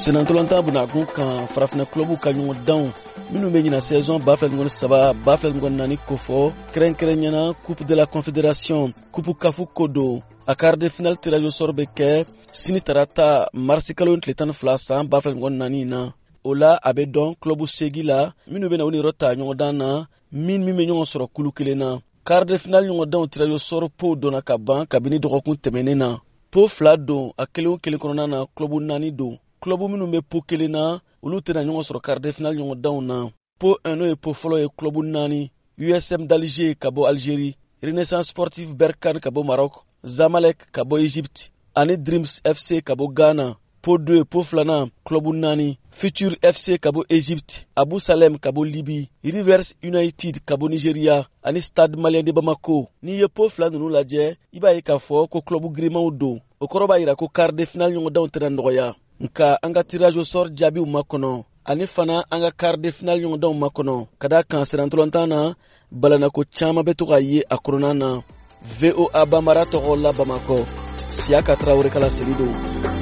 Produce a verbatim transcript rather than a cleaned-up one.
Senantolantan bunakun kan, farafinna club ka ɲɔgɔndanw minnu bɛ ɲina saison ba fila ni saba ba fila ni naani kofɔ, kɛrɛnkɛrɛnyana Coupe de la Confédération, Coupe CAF ko don. A quart de finale tirage au sort bɛ kɛ sini tarata, marisi kalo tile tan ni fila san ba fila ni naani na. O la, a bɛ dɔn club segi la minnu bɛna u niyɔrɔ ta ɲɔgɔndan na, min min bɛ ɲɔgɔn sɔrɔ kulu kelen na. Quart de finale ɲɔgɔndanw tirage au sort po donna ka ban kabini dɔgɔkun tɛmɛnen na. Po fila don, a kelen o kelen kɔnɔna na club naani don. Club minnu bɛ po kelen na, olu tɛna ɲɔgɔn sɔrɔ quart de finale ɲɔgɔndanw na. Po un, n'o ye po fɔlɔ ye, club naani: U S M d'Alger ka bɔ Algérie, Renaissance Sportive Berkane ka bɔ Maroc, Zamalek ka bɔ Égypte ani Dreams F C ka bɔ Ghana. Po deux, po filanan, club naani: Future F C ka bɔ Égypte, Abu Salem ka bɔ Libye, Rivers United ka bɔ Nigeria ani Stade Malien de Bamako. N'i ye po fila ninnu lajɛ, i b'a ye k'a fɔ ko club girimanw don. O kɔrɔ b'a yira ko quart de finale ɲɔgɔndanw tɛna nɔgɔya. Nka an ka tirage au sort jaabiw ma kɔnɔ, ani fana an ka quart de finale ɲɔgɔndanw ma kɔnɔ, ka da kan senantolantan na balanako caman bɛ to ka ye a kɔnɔna na. V O A Banbara tɔgɔ la Bamakɔ, Siyaka Tarawele kala seli don.